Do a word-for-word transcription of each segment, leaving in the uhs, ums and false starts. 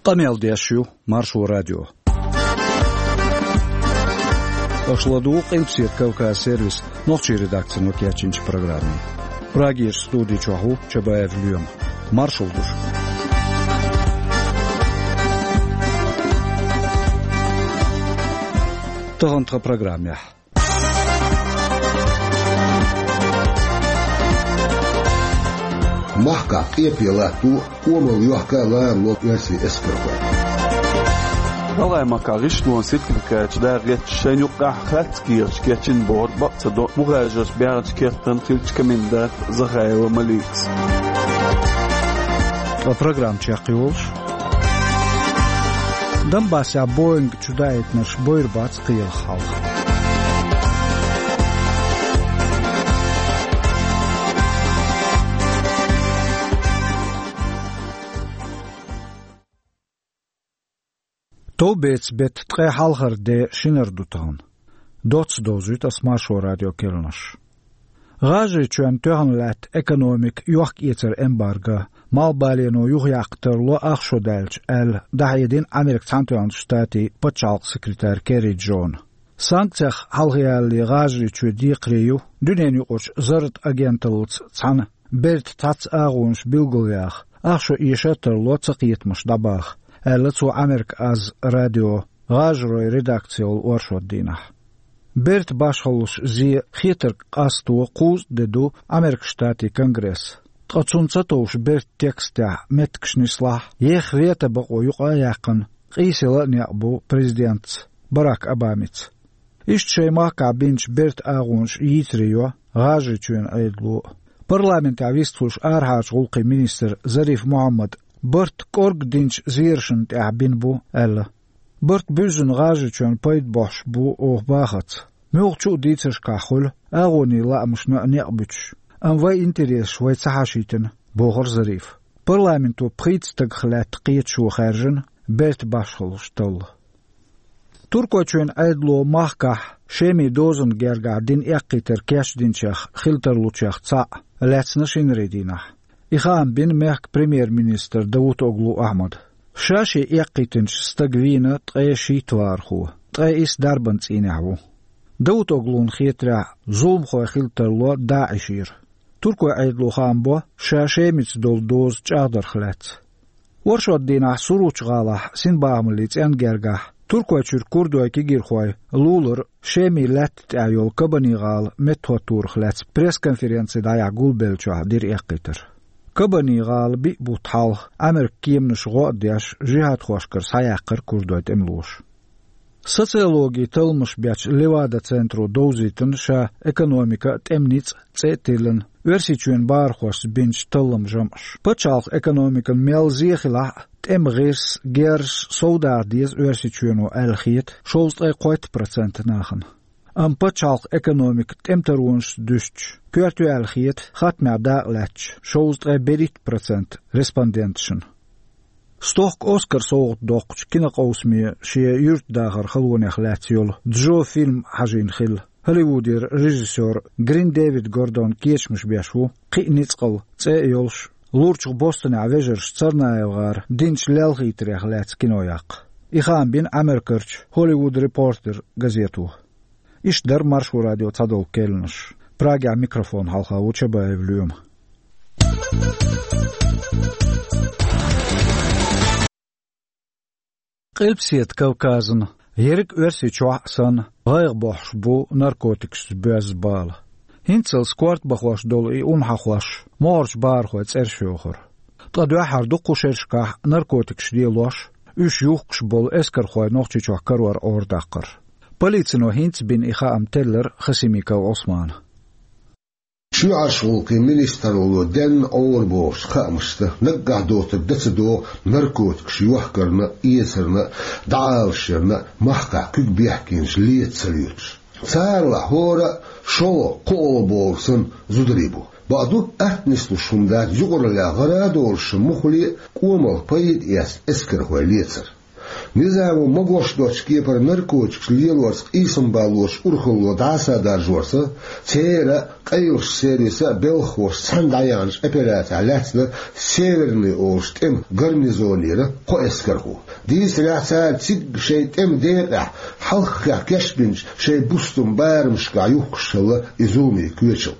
Къамел деш ю Маршо радио. Аша ладугӀу Къилбаседа Кавказ сервисан нохчийн редакцино кечйинчу программе. Прагерчу студи чохь ву Чабаев Лоьма. Маршалла ду шуьга. Тахана тхан программехь. Махкахь къепе латто, къомалла йохка а ларало оьрсийн эскархой. ГӀалгӀайн махкахь гӀишлонан сертификаташ дакъа гӀерташ шайна юккъехь харц кехаташ кечйина бохург бакъ ца до мухӀажарш баьхначу кертан хиллачу комендантан Захаева Маликас. Ткъа программа чекхйолуш. Донбассехь Боинг чудаийтинарш бойр бац кхелах хьалха. Товбецан беттан ткъе хьалхара де шинара ду тахана. Доцца довзуьйту ас Маршо радион керланаш. ГӀажарийчоьнан тоьхна лаьтта экономика йохка-эцар эмбарго, малхбалено юхаяккха тарло ах шо даьлча, аьлла, дӀахьедина Американ Цхьаьнатоьхначу Штатийн пачхьалкхан секретарь Керри Джона. Санкцех хьалхаялале ГӀажарийчоь декхаре ю дуьненаюкъарчу зарратан агенталлица цхьаьна бертан цхьацца агӀонаш билгалъяха, ах шо эшар а тарло цакхетамаш дӀабаха, аьлла цо Америка Аз радион гӀажаройн редакцехула оршот дийнахь. Бертан башхаллаш зе хетарг къасто кхузткъа де ду Американ Штатийн Конгресс. Ткъа цунна ца товш бертан текстехь меттигаш нислахь, еха вето бакъо юкъа а яьккхина, къийсаяла а некъ бу президентаца Барак Обамица. Иштта шайн махкахь бинчу бертан агӀонаш йийцаре йо ГӀажарийчоьнан Ӏедало а. Парламентехь вистхуьлуш арахьарчу гӀуллакхийн министр Зариф Мухьаммада барт кӀорга динчу зерашна тӀехь бина бу, аьлла. Барт буьззина ГӀажарийчоьнна пайда бохьуш бу оха бахарца. Муьлххачу а дийцаршкахь хуьлу агӀонийн лаамашна а некъ буьтуш, амма вайн интересаш вай ца хьашийтина, бохура Зарифа. Парламенто пхийтта стагах лаьтта кхеташо хаьржина бертан башхаллаш талла. Туркойчоьнан Ӏедало махкахь Шеман дозанна гергахь дина эккхийтар кечдинчех хила тарлучех цхьаъ лаьцна шинарин дийнахь. И хаам бина мехкан премьер-министра Давутоглу Ахьмада. Ша шен эккхийтинчу стага вийна ткъе шийтта вахархо, ткъе исс дарбан цӀийнехь ву. Давутоглуна хетарехь, зуламхой хила тарло ДАИШера. Туркойн Ӏедало хаам бо ша Шемица долу доза чӀагӀдарх лаьцна. Оршот дийнахь Суручу-гӀалахь синбахамаллин цӀенна гергахь Туркойчуьра курдойн кегийрхой лулара Шемин лаьтта тӀехь йолу Кабани-гӀала меттахӀоттарх лаьцна пресс-конференци дӀаяхьа гулбеллачохь дира эккхийтар. Кабани-гӀала биъ бутт хьалха Ӏамеркан кеманаша гӀо а деш, жихӀадхошкара схьаяьккхира курдойн тӀемалоша. Социологин талламаш бечу Левада-центро довзийтина ша экономика а, тӀеман ницкъ а цӀе а тиллина, Оьрсийчоьнан бахархошца бинчу талламан жамӀаш. Пачхьалкхан экономикана мел зе хилахь а, тӀеман гӀирс, герзаш совдаха деза Оьрсийчоьно аьлла хета шовзткъе кхойтта процент нахана. Амма пачхьалкхан экономика тӀеман таронашца дуьстича, коьрта ю аьлла хета хаттамехь дакъалаьцначу шовзткъе берхӀитта процент респонденташна. Стохка Оскар совгӀат доккхучу кинокъовсаме шен юьртдахаран халонех лаьцна йолу «Джо» фильм хьажийна хилла, Холливудера режиссёр Грин Дэвид Гордон кечамаш беш ву кхин а ницкъала цӀе а йолуш, лурчух Бостонехь вежарша ЦарнаевгӀара динчу лелхийтарех лаьцна кино яккха. И хаам бина Америкерчу «Холливуд Репортер» газето. Иштта дара Маршо радион цхьадолу керланаш. Прагехь микрофон хьалха ву Чабаев Лоьма. Къилбаседа Кавказана, ерриг Оьрсийчохь а санна, гӀайгӀа бохьуш бу наркотикашца боьзна бала. ХӀинццалц корта бахош долу и ун хьахош могӀарерчу бахархойн цӀераш йохура. Ткъа дуьххьара ду кху шерашкахь наркотикаш лелош, уьш юхкуш болу эскархой Нохчийчохь карор Ӏорадаккхар. Полицино хӀинца бина и хаам теллира Хасимиков Ӏусмана. Ши Ӏаш гӀуллакхийн министралло денна Ӏора бохучу хаамашца, наггахь доцург дан ца догӀу наркотикаш йохкарна а, эцарна а, дӀаалашъярна а махкахь куьг бехкенаш леца ца лоьцуш. Царалахь хӀора а шолгӀа, кхоалгӀа бохург санна зударий бу. Бакъду, атта нислуш хӀума дац юкъараллехь гӀара а долуш муххале а, кӀомах пайда эцна эскархой лецар. Низамо магош доцчу кепара наркотикаш лелорца къийсам баллош урхалло дӀасадаржорца, церан а, къайлахчу сервисан а белхахоша цхьаьна дӀаяьхьначу операцехь лаьцна Северный олучу тӀеман гарнизонера кхо эскархо. Дийцарехь, цара цига шайн тӀеман декъехь хьалххе кечбинчу шайн бустан барамашкахь юхкуш хилла и зуламийн коьчал.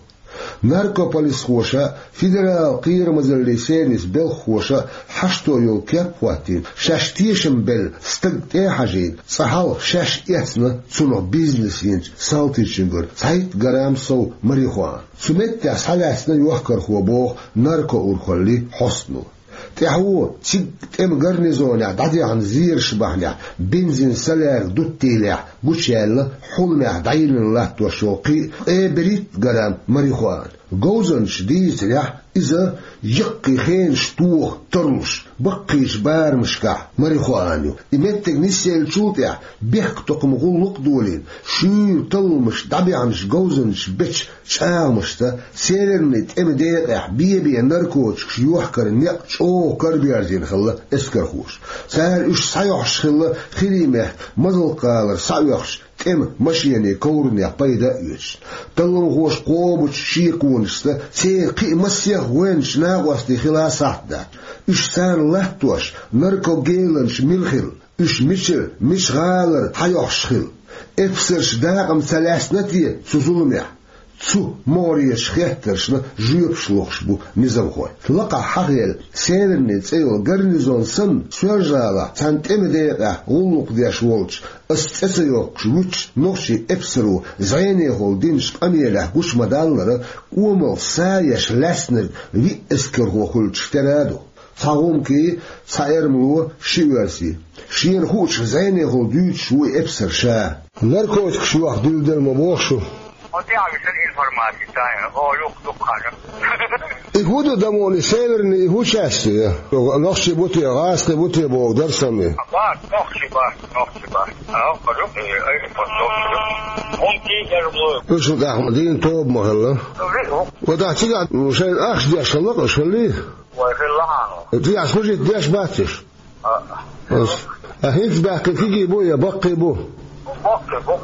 Наркополисхоша, федерал кхерамазаллин сервисан белхахоша хьашто йолу кеп а хӀоттийна, шаьш тешам белла стаг тӀе а хьажийна, цкъа хьалха шаьш эцна цунах бизнес йинчу салтичуьнгара цхьайтта грамм сов марихуана. Цу меттехь схьалаьцна йохкархо, боху наркоурхаллин хьостано. ТӀаьхьо цига тӀеман гарнизонехь дӀадаьхьна зераш бахьанехь бензин салаьрга дуттийлехь гучуяьлла хьуламехь дӀайиллина латтош йолу кхин а ткъе берхӀитта грамм марихуана. Говзанчаша дийцарехь, иза яккхий хенаш тоха тарлуш баккхийчу барамашкахь марихуана ю. И меттиг нисъеллачул тӀаьхьа бехктакхаман гӀуллакх а долийна, шуьйра талламаш дӀабаьхьначу говзанчаша бечу чӀагӀамашца, Северный тӀеман декъехь бе-бен наркотикаш йохкаран некъ чӀогӀа караберзийна хилла эскархоша. Цара уьш схьайохьуш хилла Хирий-мехкан Мазалк-гӀалара схьаоьхучу тӀеман машенийн ковранех пайда а оьцуш. Талламхоша кхобучу шеконашца церан кхин а массех а гӀоьнчу накъостий хила сахьт дац. Уьш царна латтош, наркогеланаш мила хилла, уьш мичара, мича гӀалара схьайохьуш хилла. Эпсарш дакъа ма ца лаьцна те цу зуламехь? Цу могӀарерчу хеттаршна жоьпаш лохуш бу низамхой. Лакхахь хьахийна Северный цӀе йолу гарнизон санна, Соьлжа-ГӀалахь цхьана тӀеман декъехь гӀуллакх деш волчу, ас цӀе ца йоккхуш вуьтучу нохчийн эпсаро зӀенехула динчу къамелехь гучу ма-даллара, кӀомалх са еш лаьцнарг виъ эскархо хуьлучух тера а ду. Цхьа гӀумкий, цхьа эрмало, ши оьрсий. Шена хуучух зӀенехула дуьйцуш ву и эпсар ша. Наркотикаш йохка дуьйладелла ма боху шу? Хьо тӀаьхьа висина информаци тайна. О, юх, юх, хьажа. И хӀун ду, дамони, Северный, и хӀун часть ю? Нохчий бу те, гӀазкхий бу те боху дара сан и. Бац, нохчий бац, нохчий бац. А, хьо юх, и, ай, хьо нохчий ю. ХӀун кий, эрмало? Уьш тӀехь дийна тоба ма хилла. Ви, хӀу. Вот ахь цигахь шайна ахча деш хилла, аша хиллий? Вай, хилла хьан. Цигахь служить деш бац уьш? А. Ас. А хӀинца баьккхина кегий бу я баккхий бу? Баккхий бу.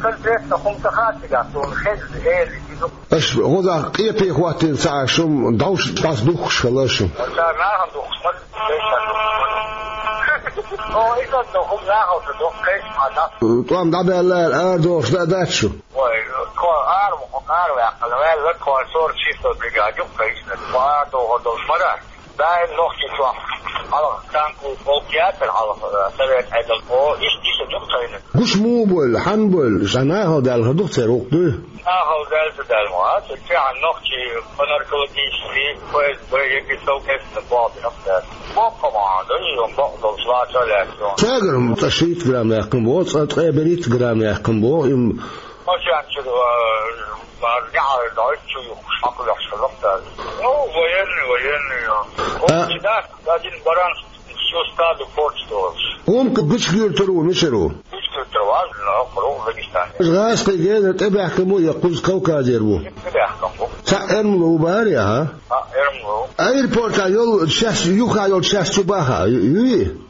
Конкретно хӀума ца хаьа цигахь, суна хезна, эли, изу. Аша гӀозахь къепе хӀоттийна ца Ӏаш, шуна дӀовш дӀаса духкуш хилла шу. Ца нахана духкуш ма, вешан духкуш ма. О, иза духкуш, нахана ца духкуш, кхечу хьан дӀа. ТӀом дӀабаьлла, арадохуш дӀа а дац шу? Вай, тхо ара, ара ваьккхина, ваьлла, тхо сорок шестой бригада ю, кхечу, тхо ара дохур долуш ма дац. Даим нохчий чохь хьалха танковый полк яцара хьалха, э, совет Ӏедал. О, иштта, иштта ду тхайна. Гуш муха бойла, хьанна бойла, ша нахала даьлла хир ду-кх церан гӀуллакх дуй? Нахала даьлла ца даьлла ма, а, цу тӀехь нохчий по наркологический, Ф С Б, егис совместно боху бина-кх цара. Боккха ма ду, и бакъ долуш лаца а лаьцна. Цаьгара цкъа шийтта грамм яьккхина боху, цкъа ткъе берхӀитта грамм яьккхина боху, им. Машенчуьра, э, Бара неӀалт дойчу юхуш хьакхоьхьуш хилла-кх цара. Ну, военный, военный, а. О, а. Чудак, один баран всю стадо порчу долуш. ХӀунка гучугуьртур ву, мичара ву? Гучугуьртур ву, а, ну, кху Дагестане. ГӀазкхий генара тӀебаьхкина бу я кхуза Кавказера ву? ТӀебаьхкина бу. Цхьа эрмало ву бара, а? А, эрмало. Аэропортехь йолу часть, юха йолу часть чу баха, ю-, юй?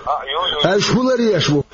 А, ю, ю. Аша хӀун ларъеш бу?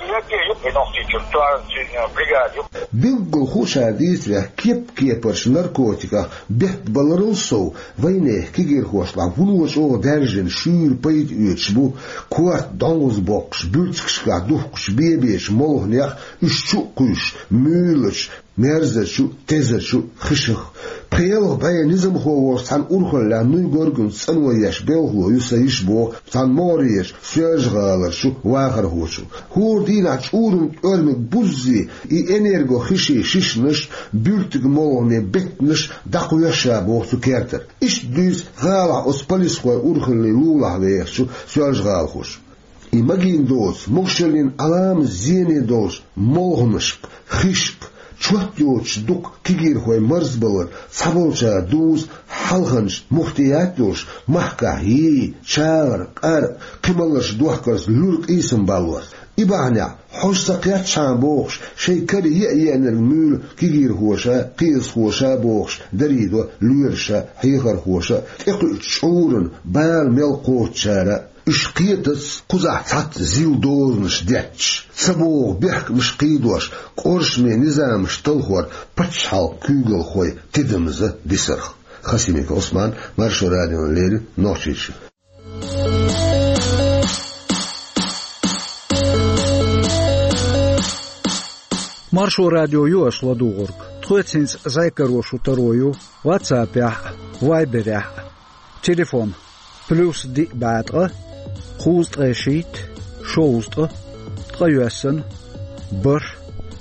Билггал хуучара дийцарехь, кеп-кепарчу наркотиках беттабаларал сов, вайнехан кегирхошлахь вуно чӀогӀа даьржина шуьйра пайда оьцуш бу корта дӀонгӀаза боккхуш, буьртигашкахь духкучу бе-бечу молханех, уьш чу а кхуьйсуш, муьйлачу, мерзачу, тезачу хишах. Пхи-ялх бӀе низамхо волчу цхьана урхаллехь Нуй Горгунца цӀано еш белхало ю сан йиша, боху цхьана могӀарерчу Соьлжа-ГӀаларчу вахархочо. ХӀора дийнахь чӀуран тӀоьрмиг буззе и энергохишин шишанаш, буьртиган молханийн беттанаш дӀакхоьхьу ша, боху цу кертара. Иштта дуьйцу гӀалахь оцу полисхойн урхаллин лулахь вехачу соьлжагӀалахоша. И магийна доцу, могушаллин Ӏаламат зене долчу молханашка, хишка, чот йоцуш дукха кегирхой марзбалар, цхьаболчара дуза хьалханчу мухтият йолуш, махкахь йий, чагӀар, къар, кхин маларш дохкарца луьра къийсам баллорца. И бахьанехь, хьожа ца кхеттачхьана бохуш, шайн кара еа-еанарг муьйлу кегирхоша, кхиазхоша бохуш, дарийдо лоьраша, хьехархоша, тӀекхуьучу чӀуран бала мел кхочучара. Уьш кхетац кхузахь цхьацца зил дозанаш детташ, ца богӀу бехкамаш кхийдош, къуршаме низамаш талхор пачхьалкхан куьйгалхой тидамза дисарх. Хасимиков Ӏусман, Маршо радиона леррина, Нохчийчоь. Маршо радио ю аша ладугӀург. Тхоьца хӀинца зӀе каро шун таро ю WhatsApp-ехь а, Viber-ехь а. Телефон: плюс диъ бӀе ткъа, кхузткъе шийтта, шовзткъа, ткъе йоьссана, бархӀ,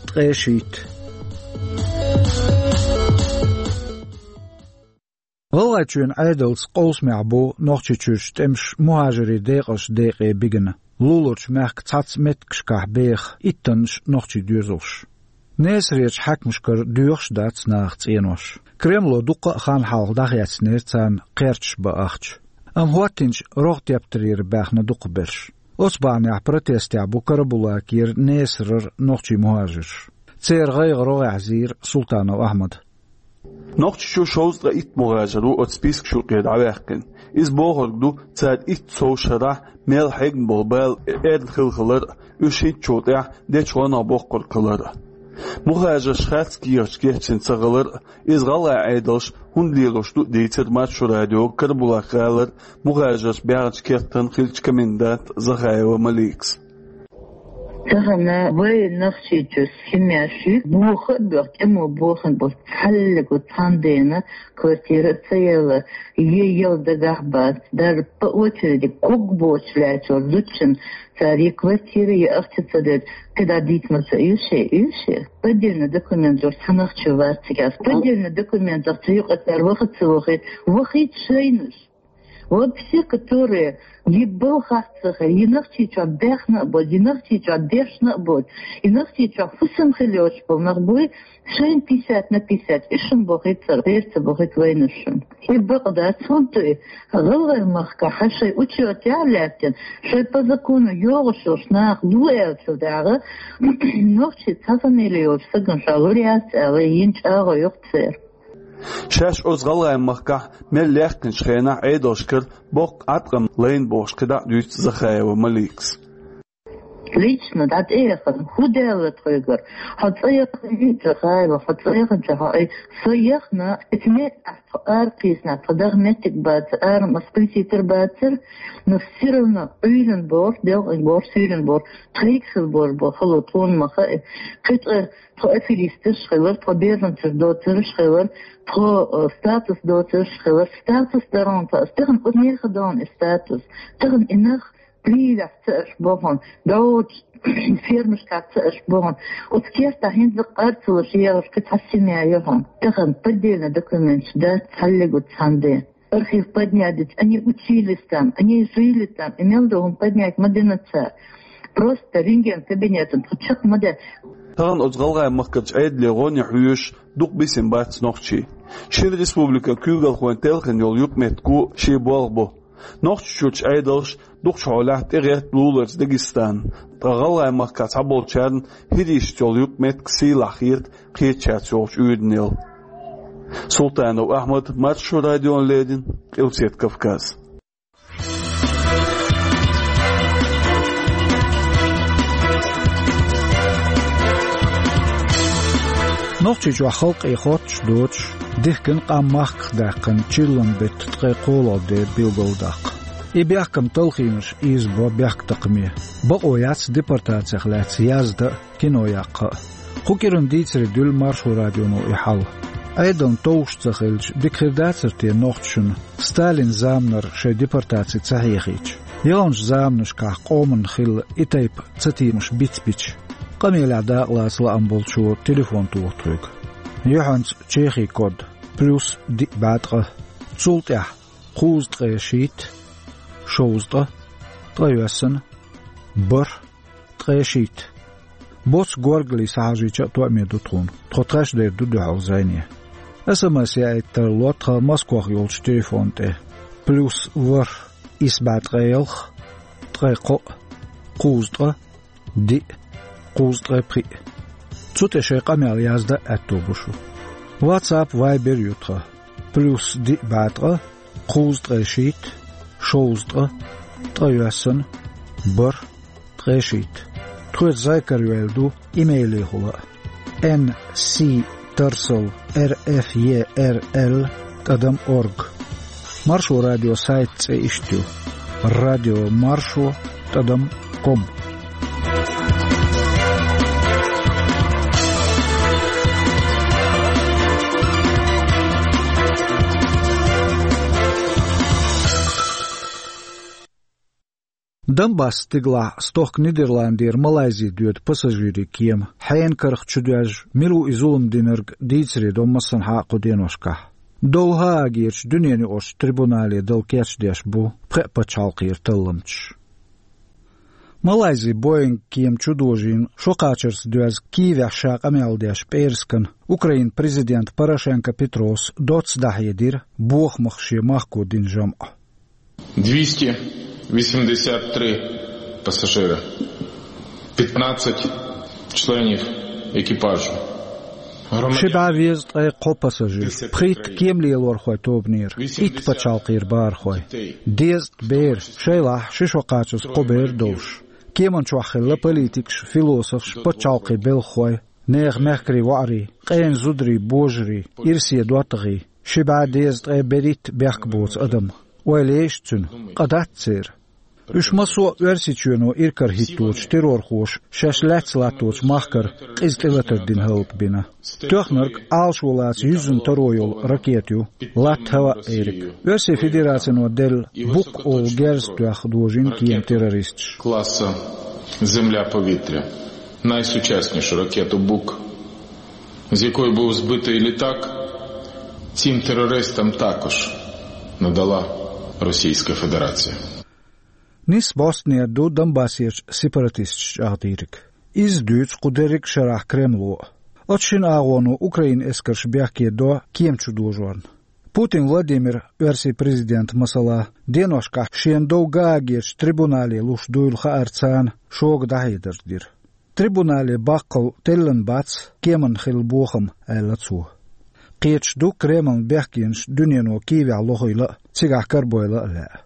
ткъе шийтта. ГӀалгӀайчоьнан Ӏедалца къовсамехь бу Нохчийчуьрчу тӀемаша мухӀажарийн декъашха декъе бигна. Луларчу мехкан цхьацца меттигашкахь беха иттаннаш нохчийн доьзалш. Несарерчу хьаькамашкара доьхуш а дац наха цӀенош. Кремло дуккха а хан хьалха дӀахецнера царна кхерчаш бан ахча. Амма хӀоттийначу рогӀ тептарера баьхна дукхахберш. Оцу бахьанехь протестехь бу Карабулакера, Несарара нохчийн мухӀажарш. Церан гӀайгӀа рогӀехь зийра Султанов Ахьмада. Нохчийчу шовзткъе итт мухӀажар ву оцу спискаш юкъера дӀаваьккхина. Иза бохург ду, цара итт сов шарахь мел хьегна болу бала эрна хилла хилар а, уьш хӀинцачул тӀаьхьа дечу гӀо боккхург хилар а. МухӀажарш харц кехаташ кечйина ца хилар а, иза гӀалгӀайн Ӏедалша хӀунда лелош ду а дийцира Маршо радиога Карабулак-гӀалара мухӀажарш баьхначу кертан хиллачу коменданта Захаева Маликас. Тахана вай Нохчийчуьра хӀуманаш ю, боха а боьха, тӀамо бохийна болу цхьаллиг а цхьаьнадена квартира а ца елла, е яла дагахь бац, даже по очереди ког боцуш лаьттачу зудчунна цара е квартира, е ахча ца деза, кхидӀа дийца ма ца оьшу, оьшу. Поддельный документаш цхьа нах чу вац цигахь. Поддельный документах цу юкъа цара ваха а ца вахийта, вахийта шайнаш. Вот все, которые е балхах ца хилла, е Нохчийчохь баьхна а боцу, е Нохчийчохь дешна а боцу, е Нохчийчохь хӀусам хилла йоцуш болу нах буй, шайна пятьдесят на пятьдесят, уьш-м бохуьйту цара, гӀерта ца бохуьйту вайнаш шуна. И бакъ дац, хӀунда ду и? ГӀалгӀайн махкахь шайн учётехь а лаьттина, шайн по закону йогӀуш йолуш нах лу аьллачул дагӀа, нохчийн цхьа фамили йолчу стагана ша лур яц аьлла, йина чӀагӀо ю-кх церан. Шаьш оцу гӀалгӀайн махкахь мел лаьхкинчу хенахь Ӏедалшкара боккха Ӏаткъам лайна бохуш кхидӀа а дуьйцу Захаева Маликас. Лично дӀатӀеяхана, хӀун даьлла тхоьгара? Хьо цӀа яхана ю, Захаева, хьо цӀа яханчохь хьо, ай, со яхана, эца меттехь тхо ара кхийсина, тхо даха меттиг бацара, ара ма спаситар бацара, но всё равно Ӏуьйранна боху, делкъина боху, суьйранна боху, тхайга хила боху, бо хало тхуна ма хаьа. Кхин цкъа тхо аферисташ хилар, тхо беженцаш доцурш хилар, тхо, э, статус доцурш хилар, статус даран тхо, ас тахана кху нехан дон и статус. Тахана и нах Прилехь ца аш бохун, догӀучу фермашкахь ца аш бохун. Оцу кертахь хӀинца къарцалуш егӀаш кхин цхьа семья ю хьуна. Тахана поддельно документаш дац цхьаллиг а цхьаьнде. Архив поднять дицу, они учились там, они жили там, и мел ду хӀума поднять ма дина цара. Просто рентген кабинетан тхо чекх ма де. Тахана оцу гӀалгӀайн махкарчу Ӏедале гӀоне хьоьжуш дукха бисина бац нохчий. Шина республикан куьйгалхойн телхина йолу юкъаметтиг а шен болх бу. Нохчийчуьрчу Ӏедалша дукхачу хьолехь тӀегӀерта луларца Дагестан, ткъа гӀалгӀайн махкахь цхьаболчарна хӀирийшца йолу юкъаметтиг сийлахь хета кхечаьрца йолчу уьйранел. Султанов Ахьмад, Маршо радиона леррина, Къилбаседа Кавказ. Нохчийчохь халкъе хоттуш доцуш, дихкина къам махках даьккхина чиллан беттан ткъе кхоалгӀа де билгалдаккха. И бехкам талхийнарш ийзабо бехктакхаме. Бакъо яц депортацех лаьцна яздан а, кино яккха а. Кху кӀиран дийцаре дуьллу Маршо радионо и хьал. Ӏедална товш ца хилча, дика хир дацара те нохчашна, Сталинан заманара шайн депортаци ца хьехийча? Яханчу заманашкахь къоманна хилла и тайпа цатемаш бицбича, къамелехь дакъалаца лаам болчо телефон туху тхоьга. Юьхьанца Чехин код: плюс диъ бӀе ткъа. Цул тӀаьхьа кхузткъе шийтта, шовзткъа, ткъе йоьссана, бархӀ, ткъе шийтта. Боцу горгали схьахьажийча а тоъаме ду тхуна. Тхо тхаьш дер ду дуьхьал зӀене. СМС яийта тарло тхан Москвахь йолчу телефон тӀе: плюс ворхӀ, исс бӀе ткъе ялх, ткъе кхоъ, кхузткъа, диъ, кхузткъе пхиъ. Цу тӀе шайн къамел яздан а аьтто бу шун. WhatsApp, Viber ю тхан: плюс диъ бӀе ткъа, кхузткъе шийтта, шовзткъа, Ткъа йоьссан, бархӀ, ткъе шийтта. Тхоьца зӀамига карайоалла ду имейлехула а: Н С тарсал Р Ф Е Р Л тӀадам орг. Маршо радион сайт цӀе иштта ю: радио маршо тӀадам ком. Донбасс стигалахь стохка Нидерландера Малайзи доьду пассажирийн кема хьенан карах чудоьжжа, мила ву и зулам динарг, дийцаре до массанхьа а кху деношкахь. Дов Гаагерчу дуьненаюкъарчу трибунале дала кечдеш бу пхеа пачхьалкхера талламчаш. Малайзи Боинг кема чудожийна шо кхачарца доьзна Киевехь ша къамел деш пӀераскан Украинан президента Порошенко Петрос доцца дӀахьедира бохамах шен махко дина жамӀ. Двести восемьдесят три пассажира, пятнадцать членов экипажа. Ши бӀе везткъе кхо пассажир, пхийтта кеман лелорхойн тобанера, итт пачхьалкхера бахархой, дезткъа бер, шайлахь ши шо кхачаза кхо бер долуш. Кеман чохь хилла политикаш, философаш, пачхьалкхийн белхахой, нехан мехкарийн воӀарий, къена зударий, божарий, ирсе доттагӀий, ши бӀе дезткъе берхӀитта бехк боцу адам. Ойла еш цуьнан, къа дац церан. Уьш массо а Оьрсийчоьно иракарахӀитточу террорхоша шаьш лаьцна латточу махкара къиза тӀелатар дина хӀаллакбина. Тоьхнарг Ӏалашо лаца юьззина таро йолу ракета ю, латта хӀаваъ эриг. Оьрсийн Федерацино делла Бук олу герз тоьхна дожийна кема террористаша. Класса «Земля-повітря». Найсучаснішу ракету «Бук», з якої був збитий літак, цим терористам також надала Російська Федерація. Нисса бӀостанера ду Донбассерчу сепаратисташа чӀагӀдийриг. Иза дуьйцу кху дерриг а шарахь Кремло. Оцу шина агӀоно Украинан эскарш бехке до кема чудожорна. Путин Владимира, Оьрсийн президента, масала, деношкахь шена дов Гаагерчу трибунале луш дуйла хаарца, шога дӀахьедарш дира. Трибунале баккхалла теллина бац кеманна хилла бохам, аьлла цо. Кхеташ ду Кремлан бехкенаш дуьнено Киевехь лохийла а, цигахь карабойла а лаьа.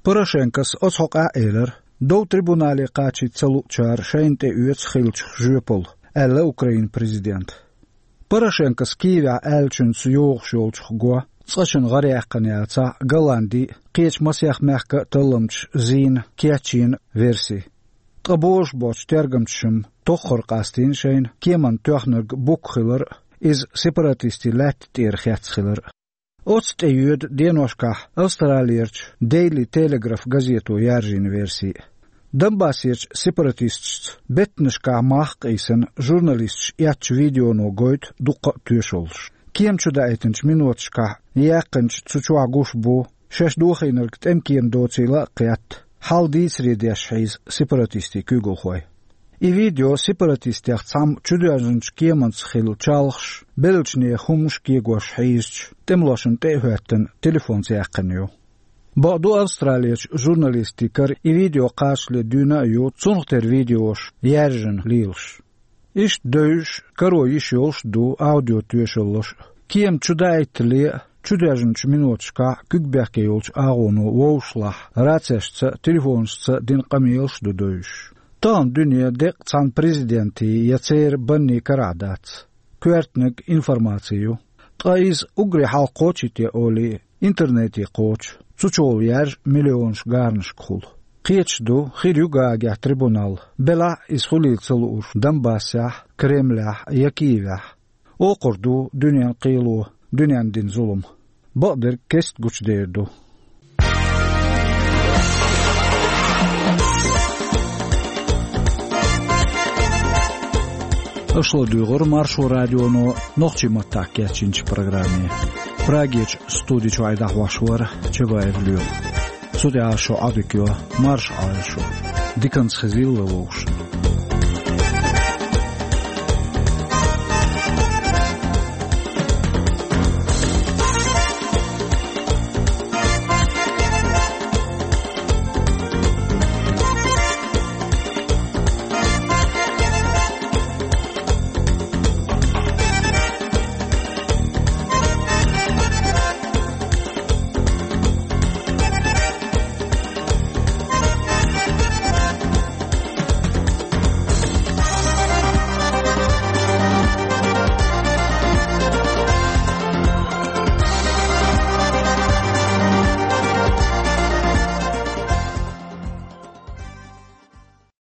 Порошенкос оцу хьокъехь а элира, дов трибунале кхачийта ца луучара шайна тӀеоьцу хиллачух жоьпалла, аьлла Украинан президента. Порошенкос Киевехь аьллачуьнца йогӀуш йолчух го цкъачунна гӀараяьккхина яцахь а, Голландин а, кхечу масех мехкан а талламчаша зийна, кечйина верси. Ткъа божуш боцчу тергамчаша-м тоххара къастийна шайна кеманна тоьхнарг Бук хилар а, иза сепаратистийн лаьтта тӀера хецна хилар а. Оццу тӀейоьду деношкахь Австралерчу Daily Telegraph газето яьржина верси. Донбассерчу сепаратисташца беттанашкахь мах а къийсина, журналисташа эцначу видеоно гойту дуккха а тоьшаллаш. Кема чудаийтинчу миноташкахь яьккхинчу цу чохь гуш бу, шаьш дохийнарг тӀемкема доцийла а кхетта, хьал дийцаре деш хьийза сепаратистийн куьйгалхой. И видео сепаратистех цхьамма чудоьжначу кеманца хилла чалхаш, беллачу нехан хӀуманаш кегош хьийзачу тӀемалошна тӀе а хӀоьттина, телефонца яьккхина ю. Бакъду, Австралерчу журналистийн кара и видео кхачале дуьйна а ю, цунах тера видеош яьржина лелаш. Иштта девзаш, каро йиш йолуш а ду аудиотоьшаллаш а. Кема чудаийтале а, чудоьжначу миноташкахь куьг бехке йолчу агӀоно вовшашлахь рацешца а, телефонашца а дина къамелаш а ду девзаш. Тахана дуьне деккъа цхьана президентийн я церан баннийн карахь дац. Коьртаниг информаци ю. Ткъа иза уггаре хьалха кхочийте олий, интернете кхочу, цу чухула яьржа миллионаш гарнашка хуьлу. Кхеташ ду, хир ю Гаагехь трибунал, белахь а иза хуьлийла ца лууш Донбассехь, Кремлехь я Киевехь. Окхур ду дуьненан кхело, дуьненна дина зулам. Бакъдерг кеста гучудер ду. Аша ладуьйгӀира Маршо радионо нохчийн маттахь кечйинчу программе. Прагерчу студи чуьра дӀахьош вара Чабаев Лоьма. Цу тӀехь шун Ӏадика йо, марша Ӏойла шу. Диканца хезийла вовшашна.